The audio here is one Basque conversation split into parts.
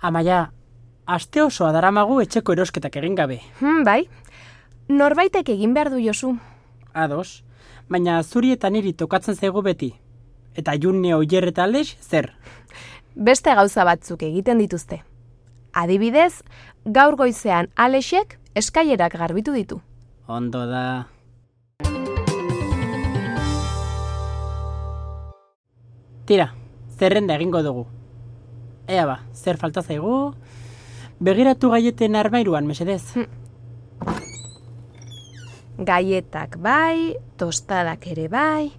Amaia, aste osoa daramagu etxeko erosketak egin gabe. Bai, norbaitek egin behar du Josu. Ados, baina zuri eta niri tokatzen zaigu beti. Eta June Oier eta Alex zer? Beste gauza batzuk egiten dituzte. Adibidez, gaur goizean Alexek eskailerak garbitu ditu. Ondo da. Tira, zerrenda egingo dugu. Ea ba, zer falta zaigu? Begiratu gaieten armairuan, mesedez. Gaietak bai, tostadak ere bai.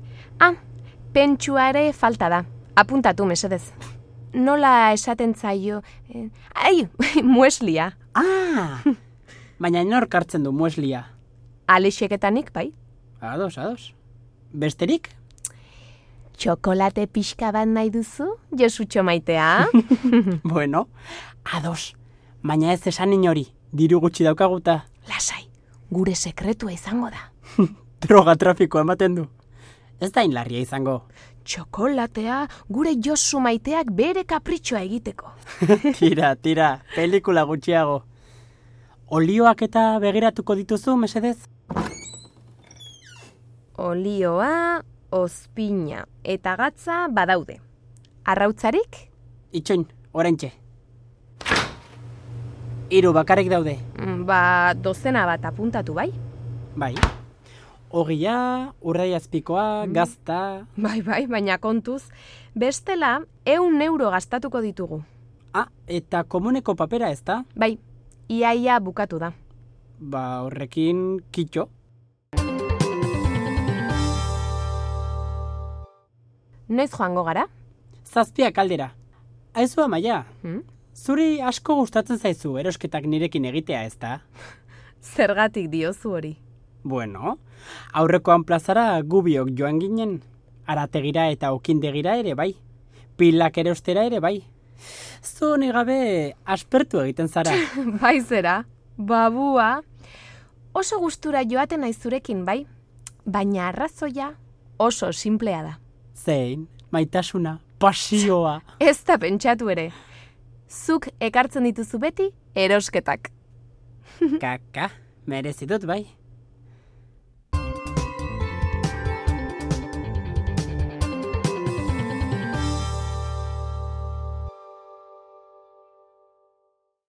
Pentsua ere falta da. Apuntatu, mesedez. Nola esaten zaio... mueslia. Baina nork hartzen du mueslia. Alexek eta nik, bai. Ados. Besterik? Txokolate pixka bat nahi duzu, Josutxo maitea? Bueno, ados. Baina ez esan inori, diru gutxi daukaguta. Lasai, gure sekretua izango da. Droga trafikoa ematen du. Ez da inlarria izango. Txokolatea gure Josu maiteak bere kapritxoa egiteko. Tira, pelikula gutxiago. Olioak eta begiratuko dituzu, mesedez? Olioa, ozpina eta gatza badaude. Arrautzarik? Itxoin, oraintxe. 3 bakarrik daude. Dozena bat apuntatu, bai? Bai. Ogia, urraiazpikoa, gazta... Bai, baina kontuz. Bestela, 100 euro gastatuko ditugu. Eta komuneko papera ez da? Bai, iaia bukatu da. Horrekin kitxo. Noiz joango gara? 7 aldera. Aizu Amaia, zuri asko gustatzen zaizu erosketak nirekin egitea ez da? Zergatik diozu hori? Bueno, aurrekoan plazara gubiok joan ginen. Arategira eta okindegira ere bai. Pilak erostera ere bai. Zu gabe aspertu egiten zara. Bai zera, babua. Oso gustura joaten naiz zurekin, bai? Baina arrazoia oso sinplea da. Zein, maitasuna, pasioa. Ez da pentsatu ere. Zuk ekartzen dituzu beti erosketak. Kaka, merezitut bai.